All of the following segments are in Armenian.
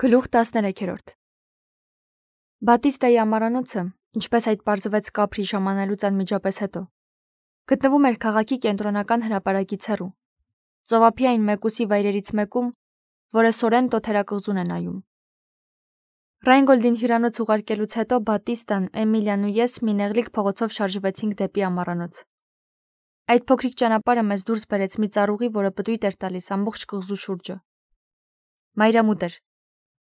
Գլուխ 13 Բատիստայի ամառանոցը, ինչպես այդ պարզվեց Կապրի ժամանելուց անմիջապես հետո, գտնվում էր քաղաքի կենտրոնական հրապարակից հեռու, ծովափի մեկուսի վայրերից մեկում, որը Սորենտո թերակղզուն է նայում։ Ռայնգոլդին հյուրանոց ուղարկելուց հետո Բատիստան, Էմիլիան ու ես մի նեղլիկ փողոցով շարժվեցինք դեպի ամառանոց։ Այդ փոքրիկ ճանապարհը մեզ դուրս բերեց մի ծառուղի, որը պտույտ էր տալիս ամբողջ կղզու շուրջը։ Մայրամուտ էր,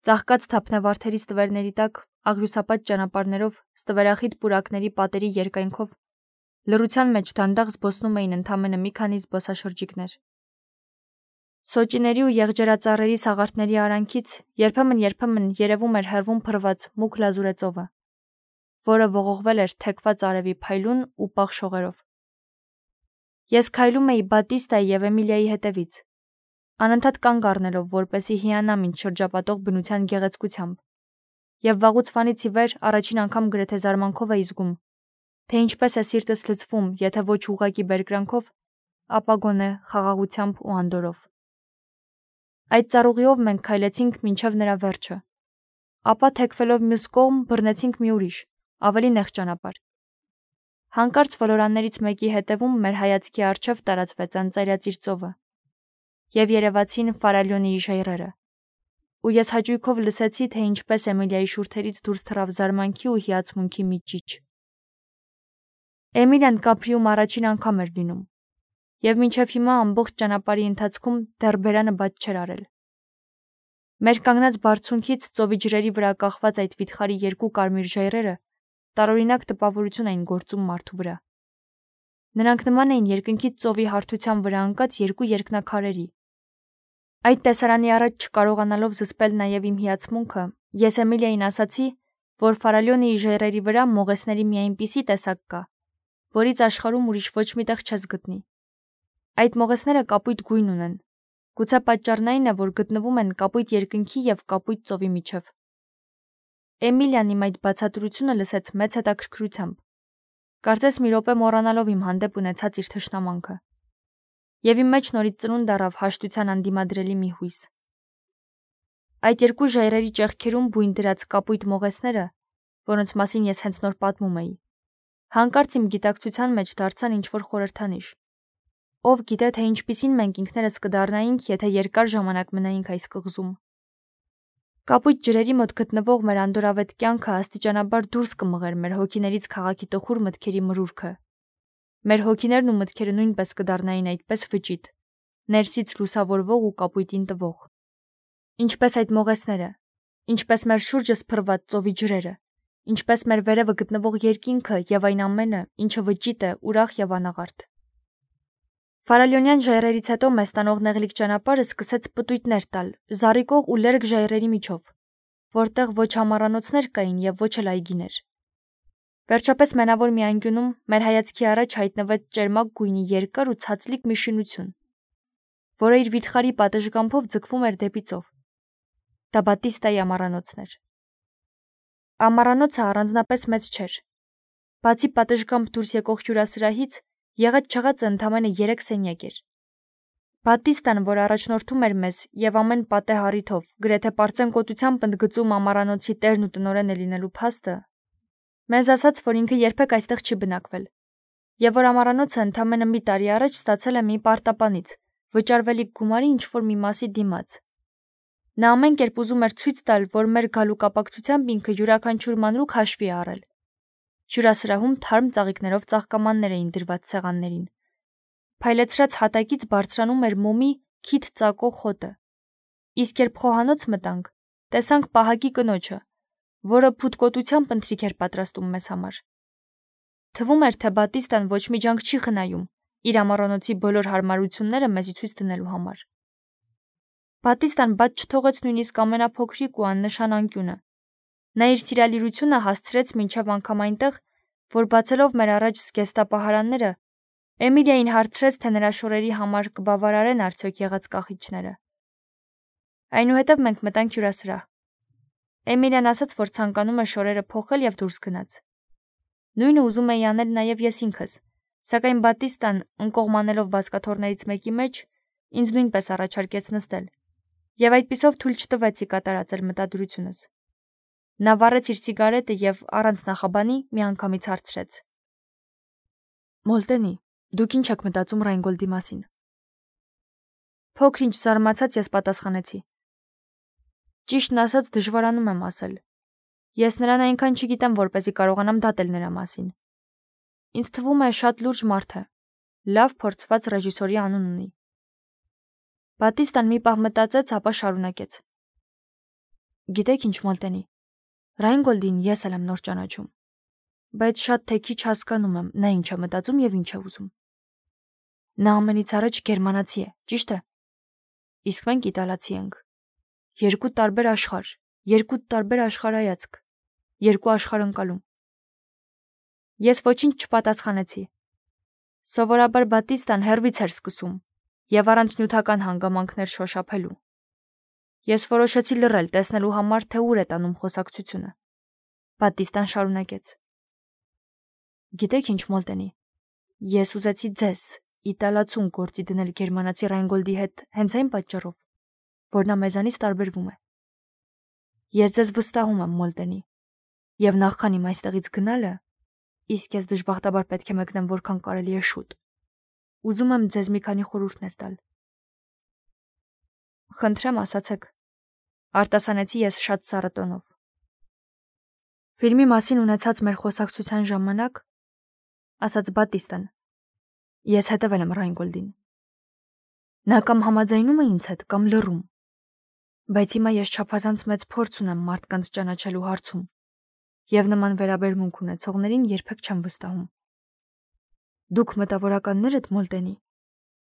ծաղկած թափնավարդերի ստվերների տակ, աղյուսապատ ճանապարհներով, ստվերախիտ պուրակների պատերի երկայնքով, լռության մեջ դանդաղ զբոսնում էին ընդամենը մի քանի զբոսաշրջիկներ։ Սոճիների ու եղջերածառերի սաղարթների արանքից երբեմն երևում էր հեռվում փռված մուգ լազուրե ծովը, որը ողողվել էր թեքված արևի փայլուն ու պաղ շողերով։ Ես քայլում էի Բատիստայի և Էմիլիայի հետևից, անընդհատ կանգ առնելով, որպեսզի հիանամ ինձ շրջապատող բնության գեղեցկությամբ, և վաղուց վանից ի վեր առաջին անգամ գրեթե զարմանքով էի զգում, թե ինչպես է սիրտս լցվում, եթե ոչ ուղղակի բերկրանքով, ապա գոնե խաղաղությամբ ու անդորրով։ Այդ ծառուղիով մենք քայլեցինք մինչև նրա վերջը, ապա թեքվելով մյուս կողմ բռնեցինք մի ուրիշ, ավելի նեղ ճանապարհ։ Հանկարծ ոլորաններից մեկի հետևում մեր հայացքի առջև տարածվեց անծայրածիր ծովը, և երևացին Ֆարալյոնիի ժայռերը, ու ես հաճույքով լսեցի, թե ինչպես Էմիլիայի շուրթերից դուրս թռավ զարմանքի ու հիացմունքի մի ճիչ։ Էմիլիան Կապրիում առաջին անգամ էր լինում, և մինչև հիմա ամբողջ ճանապարհի ընթացքում դեռ բերանը բաց չէր արել։ Մեր կանգնած բարձունքից ծովի ջրերի վրա կախված այդ վիթխարի երկու կարմիր ժայռերը տարօրինակ տպավորություն էին գործում մարդու վրա։ Նրանք նման էին երկնքից ծովի հարթության վրա ընկած երկու երկնաքարերի։ Այդ տեսարանի առաջ չկարողանալով զսպել նաև իմ հիացմունքը, ես Էմիլիային ասացի, որ Ֆարալյոնիի ժայռերի վրա մողեսների մի այնպիսի տեսակ կա, որից աշխարհում ուրիշ ոչ մի տեղ չես գտնի։ Այդ մողեսները կապույտ գույն ունեն, գուցե պատճառն այն է, որ գտնվում են կապույտ երկնքի և կապույտ ծովի միջև։ Էմիլիան իմ այդ բացատրությունը լսեց մեծ հետաքրքրությամբ, կարծես մի րոպե մոռանալով իմ հանդեպ ունեցած իր թշնամանքը, և իմ մեջ նորից ծնունդ առավ հաշտության անդիմադրելի մի հույս։ Այդ երկու ժայռերի ճեղքերում բույն դրած կապույտ մողեսները, որոնց մասին ես հենց նոր պատմում էի, հանկարծ իմ գիտակցության մեջ դարձան ինչ-որ խորհրդանիշ։ Ով գիտե, թե ինչպիսին մենք ինքներս կդառնայինք, եթե երկար ժամանակ մնայինք այս կղզում։ Կապույտ ջրերի մոտ գտնվող մեր անդորրավետ կյանքը աստիճանաբար դուրս կմղեր մեր հոգիներից քաղաքի տխուր մտքերի մրուրքը։ Մեր հոգիներն ու մտքերը նույնպես կդառնային այդպես վճիտ, ներսից լուսավորվող ու կապույտին տվող։ Ինչպես այդ մողեսները, ինչպես մեր շուրջը սփռված ծովի ջրերը, ինչպես մեր վերևը գտնվող երկինքը և այն ամենը, ինչը վճիտ է, ուրախ և անաղարտ։ Ֆարալյոնյան ժայռերից հետո մեզ տանող նեղլիկ ճանապարհը սկսեց պտույտներ տալ, զառիկող ու լերկ ժայռերի միջով, որտեղ ոչ ամառանոցներ կային և ոչ էլ այգիներ։ Վերջապես մենավոր մի անկյունում մեր հայացքի առաջ հայտնվեց ճերմակ գույնի երկար ու ցածլիկ մի շինություն, որը իր վիթխարի պատշգամբով ձգվում էր դեպի ծով։ Դա Բատիստայի ամառանոցն էր։ Ամառանոցը առանձնապես մեծ չէր։ Բացի պատշգամբ դուրս եկող հյուրասրահից, եղած-չեղածը ընդամենը 3 սենյակ էր։ Բատիստան, որ առաջնորդում էր մեզ և ամեն պատեհ առիթով, գրեթե պարծենկոտությամբ ընդգծում ամառանոցի տերն ու տնօրենը լինելու փաստը, մեզ ասաց, որ ինքը երբեք այստեղ չի բնակվել, և որ ամառանոցը ընդամենը մի տարի առաջ ստացել է մի պարտապանից, վճարվելիք գումարի ինչ-որ մի մասի դիմաց։ Նա ամեն կերպ ուզում էր ցույց տալ, որ մեր գալու կապակցությամբ ինքը յուրաքանչյուր մանրուք հաշվի է առել։ Հյուրասրահում թարմ ծաղիկներով ծաղկամաններ էին դրված սեղաններին։ Փայլեցրած հատակից բարձրանում էր մոմի քիթ ծակող հոտը։ Իսկ երբ խոհանոց մտանք, տեսանք պահակի կնոջը, որը փութկոտությամբ ընթրիք էր պատրաստում մեզ համար։ Թվում էր, թե Բատիստան ոչ մի ջանք չի խնայում իր ամառանոցի բոլոր հարմարությունները մեզի ցույց դնելու համար։ Բատիստան բաց չթողեց նույնիսկ ամենափոքրիկ ու աննշան անկյունը։ Նա իր սիրալիրությունը հասցրեց մինչև անգամ այնտեղ, որ բացելով մեր առաջ զգեստապահարանները, Էմիլիային հարցրեց, թե նրա շորերի համար կբավարարեն արդյոք եղած կախիչները։ Այնուհետև մենք մտանք հյուրասրահ։ Էմիլիան ասաց, որ ցանկանում է շորերը փոխել և դուրս գնաց։ Նույնը ուզում էի անել նաև ես ինքս, սակայն Բատիստան, ընկողմանելով բազկաթոռներից մեկի մեջ, ինձ նույնպես առաջարկեց նստել, Եվ այդպիսով թույլ չտվեցի կատարածել մտադրությունս։ Նա վառեց իր սիգարետը եւ առանց նախաբանի միանգամից հարցրեց. Մոլտենի, դուք ինչ եք մտածում Ռայնգոլդի մասին։ Փոքր-ինչ զարմացած ես պատասխանեցի. Ճիշտն ասած դժվարանում եմ ասել։ Ես նրան այնքան չգիտեմ, որպեսզի կարողանամ դատել նրա մասին։ Ինձ թվում է շատ լուրջ մարդ է։ Լավ փորձված ռեժիսորի անուն ունի։ Բատիստան մի պահ մտածեց, ապա շարունակեց. Գիտեք ինչ, Մոլտենի, Ռայնգոլդին ես էլ եմ նոր ճանաչում, բայց շատ թե քիչ հասկանում եմ նա ինչ է մտածում եւ ինչ է ուզում։ Նա ամենից առաջ գերմանացի է, ճիշտ է։ Իսկ մենք իտալացի ենք։ Երկու տարբեր աշխարհ, երկու տարբեր աշխարհայացք, երկու աշխարհընկալում։ Ես ոչինչ չպատասխանեցի։ Սովորաբար Բատիստան հեռվից էր սկսում եւ առանց նյութական հանգամանքներ շոշափելու։ Ես որոշեցի լռել, տեսնելու համար, թե ուր է տանում խոսակցությունը։ Բատիստան շարունակեց. Գիտեք ինչ, Մոլտենի, ես ուզեցի ձեզ իտալացուն գործի դնել գերմանացի Ռայնգոլդի հետ հենց այն պատճառով, որ նա մեզանից տարբերվում է։ Ես ձեզ վստահում եմ, Մոլտենի, եւ նախքան իմ այստեղից գնալը, իսկ ես դժբախտաբար պետք է մեկնեմ որքան կարելի է շուտ։ Ուզում եմ ձեզ մի քանի խորհուրդներ տալ։ Խնդրեմ, ասացեք, արտասանեցի ես շատ սառը տոնով։ Ֆիլմի մասին ունեցած մեր խոսակցության ժամանակ, ասաց Բատիստան, ես հետևել եմ Ռայնգոլդին։ Նա կամ համաձայնում է ինձ հետ, կամ լռում։ Բայց հիմա ես չափազանց մեծ փորձ ունեմ մարդկանց ճանաչելու հարցում, եւ նման վերաբերմունք ունեցողներին երբեք չեմ վստահում։ Դուք մտավորականներ եք, Մոլտենի,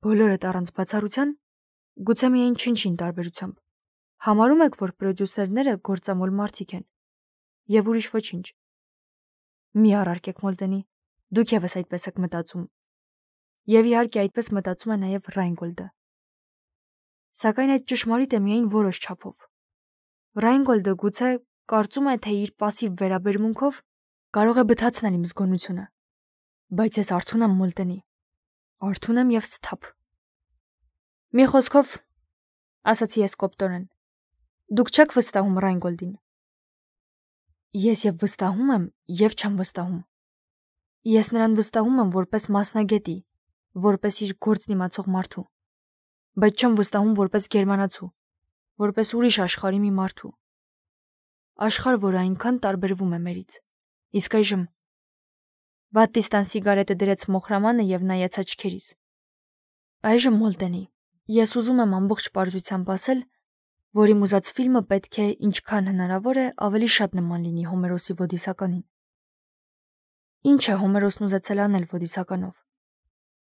բոլորդ առանց բացառության, գուցե միայն չնչին տարբերությամբ, համարում եք, որ պրոդյուսերները գործամոլ մարդիկ են, եւ ուրիշ ոչինչ։ Մի առարկեք, Մոլտենի, դուք եւս այդպես եք մտածում։ Եվ իհարկե այդպես մտածում է նաեւ Ռայնգոլդը։ Սակայն այդ ճշմարիտ է միայն որոշ չափով։ Ռայնգոլդը գուցե կարծում է, թե իր пассив վերաբերմունքով կարող է բթացնել իմ զգոնությունը։ Բայց ես արթուն եմ, Մոլտենի։ Արթուն եմ եւ սթափ։ Մի խոսքով, ասացի ես կոպտորեն, դուք չեք վստահում Ռայնգոլդին։ Ես եւ վստահում եմ, եւ չեմ վստահում։ Ես նրան վստահում եմ որպես մասնագետի, որպես իր գործն իմացող մարդու, բայց չեմ վստահում որպես գերմանացու, որպես ուրիշ աշխարհի մի մարդու։ Աշխարհ, որը այնքան տարբերվում է մերից։ Իսկ այժմ Բատիստան սիգարետը դրեց մոխրամանը եւ նայեց աչքերիս։ Այժմ, Մոլտենի, ես ուզում եմ ամբողջ պարզությամբ ասել, որ իմ ուզած ֆիլմը պետք է ինչքան հնարավոր է ավելի շատ նման լինի Հոմերոսի Ոդիսականին։ Ինչ է Հոմերոսն ուզեցել անել Ոդիսականով։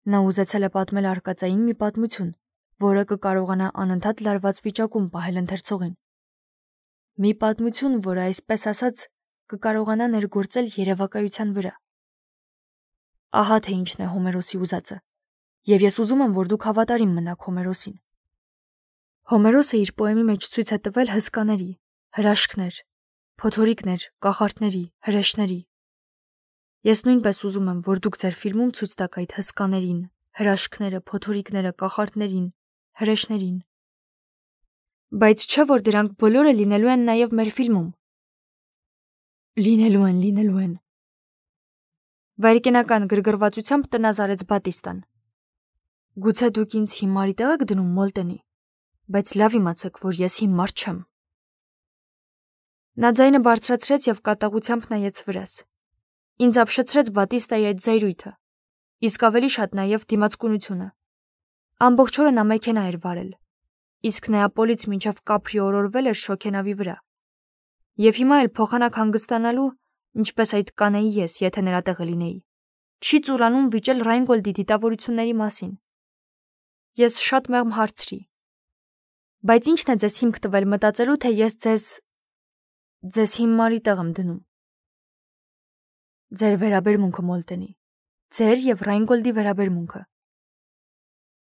Նա ուզեցել է պատմել արկածային մի պատմություն, որը կկարողանա անընդհատ լարված վիճակում պահել ընթերցողին։ Մի պատմություն, որը այսպես ասած կկարողանա ներգործել երևակայության վրա։ Ահա թե ինչն է Հոմերոսի ուզածը, եւ ես ուզում եմ, որ դուք հավատարիմ մնաք Հոմերոսին։ Հոմերոսը իր պոեմի մեջ ցույց է տվել հսկաների, հրաշքներ, փոթորիկներ, կախարդների, հրեշների։ Ես նույնպես ուզում եմ, որ դուք ձեր ֆիլմում ցույց տաք այդ հսկաներին, հրաշքները, փոթորիկները, կախարդներին, հրեշներին։ Բայց չէ՞ որ դրանք բոլորը լինելու են նաև մեր ֆիլմում։ Լինելու են։ Վայրկենական գրգռվածությամբ տնազարեց Բատիստան։ Գուցե դուք ինձ հիմարի տեղ եք դնում, Մոլտենի, բայց լավ իմացեք, որ ես հիմար չեմ։ Նա ձայնը բարձրացրեց եւ կատաղությամբ նայեց վրաս։ Ինձ ապշեցրեց Բատիստայի այդ զայրույթը, իսկ ավելի շատ նաեւ դիմացկունությունը։ Ամբողջ օրը նա մեքենա էր վարել, իսկ Նեապոլից մինչև Կապրի օրորվել էր շոգենավի վրա։ Եվ հիմա էլ փոխանակ հանգստանալու, ինչպես այդ կանեի ես, եթե նրա տեղը լինեի, չի ծուրանում վիճել Ռայնգոլդի դիտավորությունների մասին։ Ես շատ մեղմ հարցրի. Բայց ի՞նչն է ձեզ հիմք տվել մտածելու, թե ես ձեզ հիմարի տեղ եմ դնում։ Ձեր վերաբերմունքը, Մոլտենի, ձեր եւ Ռայնգոլդի վերաբերմունքը։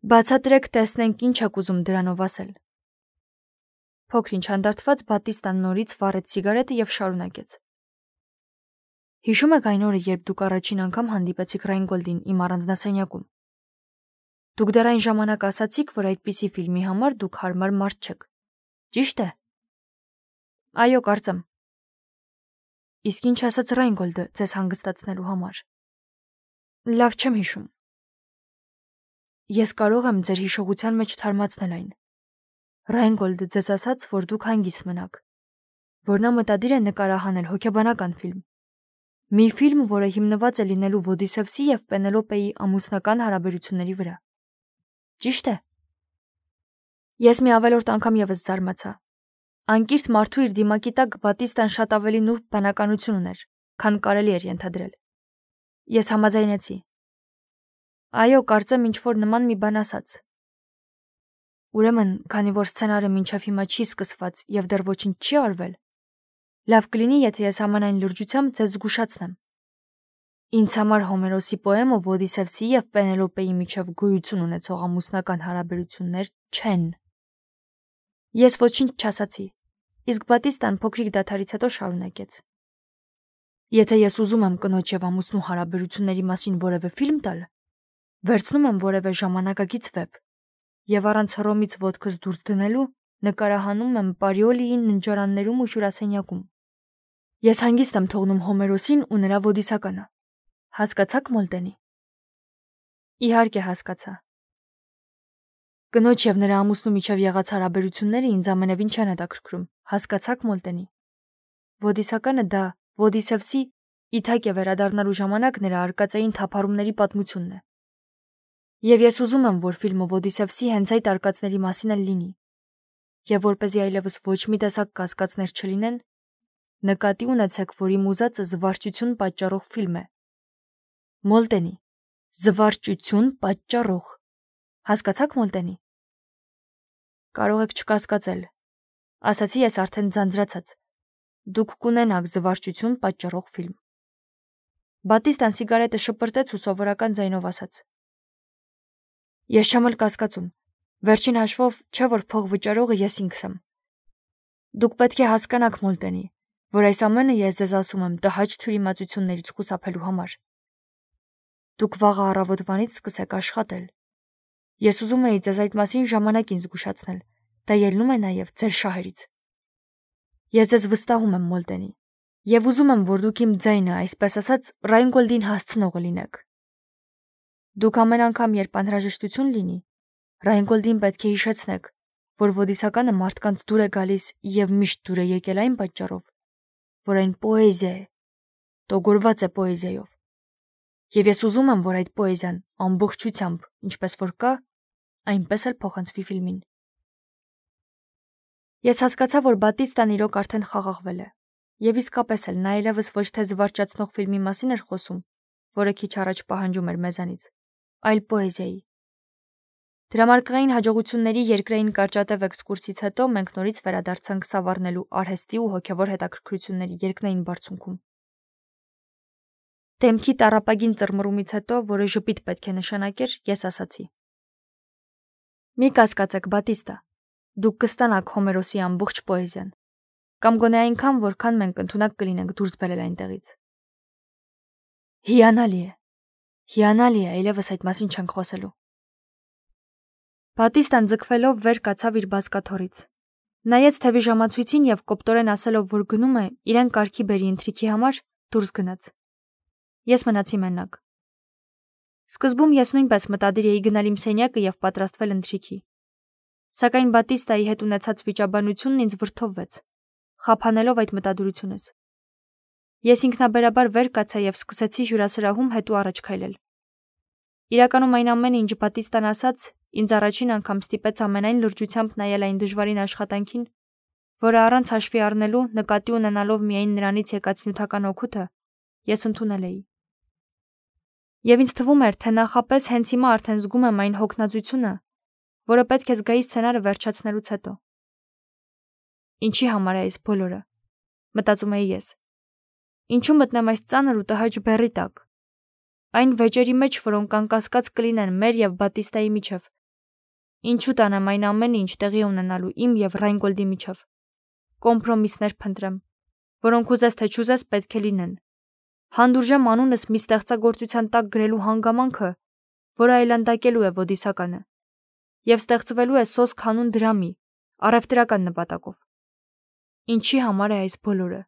Բացատրեք, տեսնենք ինչ եք ուզում դրանով ասել։ Փոքր-ինչ հանդարտված Բատիստան նորից վառեց սիգարետը եւ շարունակեց։ Հիշում եք այն օրը, երբ դուք առաջին անգամ հանդիպեցիք Ռայնգոլդին իմ առանձնասենյակում։ Դուք դեռ այն ժամանակ ասացիք, որ այդպիսի ֆիլմի համար դուք հարմար մարդ չեք։ Ճիշտ է։ Այո, կարծեմ։ Իսկ ինչ ասաց Ռայնգոլդը ձեզ հանգստացնելու համար։ Լավ չեմ հիշում։ Ես կարող եմ ձեր հիշողության մեջ թարմացնել այն։ Ռայնգոլդը ձեզ ասաց, որ դուք հանգիստ մնաք, որ նա մտադիր է նկարահանել հոգեբանական ֆիլմ։ Մի ֆիլմ, որը հիմնված է լինելու Ոդիսևսի և Պենելոպեի ամուսնական հարաբերությունների վրա։ Ճիշտ է։ Ես մի ավելորդ անգամ եւս զարմացա։ Անկիրթ մարդու իր դիմակի տակ Բատիստան շատ ավելի նուրբ բանականություն ուներ, քան կարելի էր ենթադրել։ Ես համաձայնեցի։ Այո, կարծեմ ինչ-որ նման մի բան ասաց։ Ուրեմն, քանի որ սցենարը մինչև հիմա չի սկսված եւ դեռ ոչինչ չի արվել, լավ կլինի, եթե ես ամենայն լրջությամբ ձեզ զգուշացնեմ։ Ինձ համար Հոմերոսի պոեմը Ոդիսևսի եւ Պենելոպեի միջև գոյություն ունեցող ամուսնական հարաբերություններ չեն։ Ես ոչինչ չասացի, իսկ Բատիստան փոքրիկ դադարից հետո շարունակեց։ Եթե ես ուզում եմ կնոջ եւ ամուսնու հարաբերությունների մասին որևէ ֆիլմ տալ, վերցնում եմ որևէ ժամանակակից վեբ եւ առանց հռոմից ոտքս դուրս դնելու նկարահանում եմ Պարիոլիի ննջարաններում ու հյուրասենյակում։ Ես հանգիստ եմ թողնում Հոմերոսին ու նրա Ոդիսականը։ Հասկացաք, Մոլտենի։ Իհարկե հասկացա։ Կնոջ եւ նրա ամուսնու միջև եղած հարաբերությունները ինձ ամենևին չեն հետաքրքրում։ Հասկացաք, Մոլտենի։ Ոդիսականը դա Ոդիսևսի իթակ է վերադառնալու ժամանակ նրա արկածային թափառումների պատմությունն է։ Եվ ես ուզում եմ, որ ֆիլմը Ոդիսևսի հենց այդ արկածների մասին էլ լինի։ Եվ որպեսզի այլևս ոչ մի տեսակ կասկածներ չլինեն, նկատի ունեցեք, որ իմ ուզածը զվարճություն պատճառող ֆիլմ է։ Մոլտենի, զվարճություն պատճառող։ Հասկացաք, Մոլտենի։ Կարող եք չկասկածել, ասացի ես արդեն ձանձրացած։ Դուք կունենաք զվարճություն պատճառող ֆիլմ։ Բատիստան սիգարետը շպրտեց ու սովորական ձայնով ասաց. Ես չեմ էլ կասկածում։ Վերջին հաշվով չէ որ փող վճարողը ես ինքս եմ։ Դուք պետք է հասկանաք, Մոլտենի, որ այս ամենը ես ձեզ ասում եմ տհաճ թյուրիմացություններից խուսափելու համար։ Դուք վաղը առավոտվանից սկսեք աշխատել։ Ես ուզում էի ձեզ այդ մասին ժամանակին զգուշացնել, դա ելնում է նաև ձեր շահերից։ Ես ձեզ վստահում եմ, Մոլտենի, եւ ուզում եմ, որ դուք իմ ձայնը, այսպես ասած, Ռայնգոլդին հասցնողը լինեք։ Դուք ամեն անգամ, երբ անհրաժեշտություն լինի, Ռայնգոլդին պետք է հիշեցնեք, որ Ոդիսականը մարդկանց դուր է գալիս եւ միշտ դուր է եկել այն պատճառով, որ այն պոեզիա է, տոգորված է պոեզիայով։ Եվ ես ուզում եմ, որ այդ պոեզիան ամբողջությամբ, ինչպես որ կա, այնպես էլ փոխանցվի ֆիլմին։ Ես հասկացա, որ Բատիստան իրոք արդեն խաղաղվել է, եւ իսկապես էլ նա այլևս ոչ թե զվարճացնող ֆիլմի մասին էր խոսում, որը քիչ առաջ պահանջում էր մեզանից, այլ պոեզիայի։ Դրամարկղային հաջողությունների երկրային կարճատև էքսկուրսից հետո մենք նորից վերադարձանք Սավառնելու արհեստի ու հոգևոր հետաքրքրությունների երկնային բարձունքում։ Դեմքի տառապագին ծռմռումից հետո, որը ժպիտ պետք է նշանակեր, ես ասացի. Մի կասկածեք, Բատիստա, դուք կստանաք Հոմերոսի ամբողջ պոեզիան, կամ գոնե այնքան, որքան մենք ընդունակ կլինենք դուրս բերել այնտեղից։ Հիանալի է, այլևս այդ մասին չենք խոսելու։ Բատիստան ձգվելով վեր կացավ իր բազկաթոռից։ Նայեց թևի ժամացույցին եւ կոպտորեն ասելով, որ գնում է իրեն կարգի բերի ընթրիքի համար, դուրս գնաց։ Ես մնացի մենակ։ Սկզբում ես նույնպես մտադիր էի գնալ իմ սենյակը եւ պատրաստվել ընթրիքի։ Սակայն Բատիստայի հետ ունեցած վիճաբանությունն ինձ վրդովվեց, խափանելով այդ մտադրությունս։ Ես ինքնաբերաբար վեր կացա եւ սկսեցի հյուրասրահում հետո առաջ քայլել։ Իրականում այն ամենը, ինչ Բատիստան ասաց, ինձ առաջին անգամ ստիպեց ամենայն լրջությամբ նայել այն դժվարին աշխատանքին, որը առանց հաշվի առնելու, նկատի ունենալով միայն նրանից եկած նյութական օգուտը, ես ընդունել էի։ Եվ ինձ թվում էր, թե նախապես հենց հիմա արդեն զգում եմ այն հոգնածությունը, որը պետք է զգայի սցենարը վերջացնելուց հետո։ Ինչի համար է այս բոլորը, մտածում էի ես։ Ինչու մտնեմ այս ծանր ու տհաճ բեռի տակ։ Այն վեճերի մեջ, որոնք անկասկած կլինեն մեր եւ Բատիստայի միջև։ Ինչու տանեմ այն ամենը, ինչ տեղի ունենալու իմ եւ Ռայնգոլդի միջև։ Կոմպրոմիսներ փնտրեմ, որոնք ուզես թե չուզես պետք է լինեն։ Հանդուրժեմ անունս մի ստեղծագործության տակ գրելու հանգամանքը, որը այլանդակելու է Ոդիսականը, եւ ստեղծվելու է սոսկ հանուն դրամի, առևտրական նպատակով։ Ինչի համար է այս բոլորը։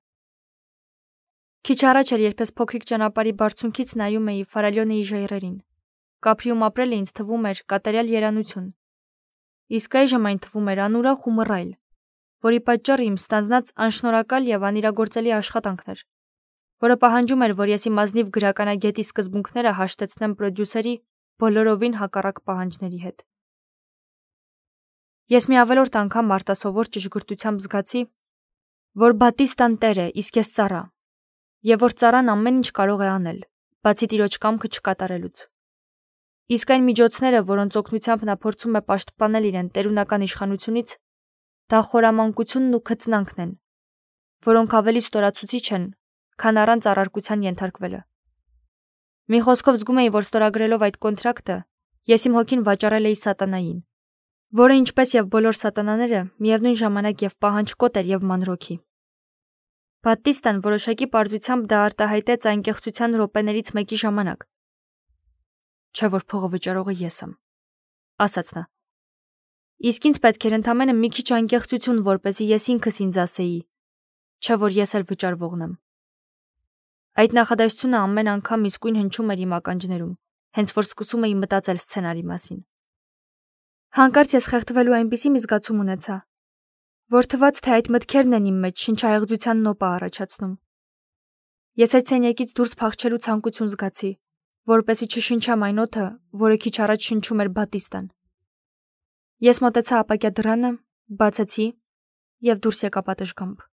Քիչ առաջ էր, երբ ես փոքրիկ ճանապարհի բարձունքից նայում էի Ֆարալյոնեի ժայռերին։ Կապրիում ապրելը ինձ թվում էր կատարյալ երանություն։ Իսկ այժմ այն թվում էր անուրախ ու մռայլ, որի պատճառը իմ ստանձնած անշնորհակալ եւ անիրագործելի աշխատանքն էր, որը պահանջում էր, որ ես իմ ազնիվ գրականագետի սկզբունքները հաշտեցնեմ պրոդյուսերի բոլորովին հակառակ պահանջների հետ։ Ես մի ավելորդ անգամ արտասովոր ճշգրտությամբ զգացի, որ Բատիստան տեր է, իսկ ես ծառա, եւ որ ծառան ամեն ինչ կարող է անել, բացի տիրոջ կամքը չկատարելուց։ Իսկ այն միջոցները, որոնց օգնությամբ նա փորձում է պաշտպանել իրեն տերունական իշխանությունից, դա խորամանկությունն ու քծնանքն են, որոնք ավելի ստորացուցիչ են, քան առանց առարկության ենթարկվելը։ Մի խոսքով զգում էի, որ ստորագրելով այդ կոնտրակտը, ես իմ հոգին վաճառել էի սատանային, որը ինչպես եւ բոլոր սատանաները, միևնույն ժամանակ եւ պահանջկոտ էր եւ մանրոքի։ Բատիստան որոշակի պարզությամբ դա արտահայտեց անկեղծության րոպեներից մեկի ժամանակ։ Չէ՞ որ փողը վճարողը ես եմ, ասաց նա։ Իսկ ինձ պետք էր ընդամենը մի քիչ անկեղծություն, որպեսզի ես ինքս ինձ ասեի, չէ՞ որ ես էլ վճարվողն եմ։ Այդ նախադասությունը ամեն անգամ իսկույն հնչում էր իմ ականջներում, հենց որ սկսում էի մտածել սցենարի մասին։ Հանկարծ ես խեղդվելու այնպիսի մի զգացում ունեցա, որ թվաց, թե այդ մտքերն են իմ մեջ շնչահեղձության նոպա առաջացնում։ Ես այդ սենյակից դուրս փախչելու ցանկություն զգացի, որպեսզի չշնչամ այն օդը, որը քիչ առաջ շնչում էր Բատիստան։ Ես մոտեցա ապակյա դռանը, բացեցի եւ դուրս եկա պատշգամբ։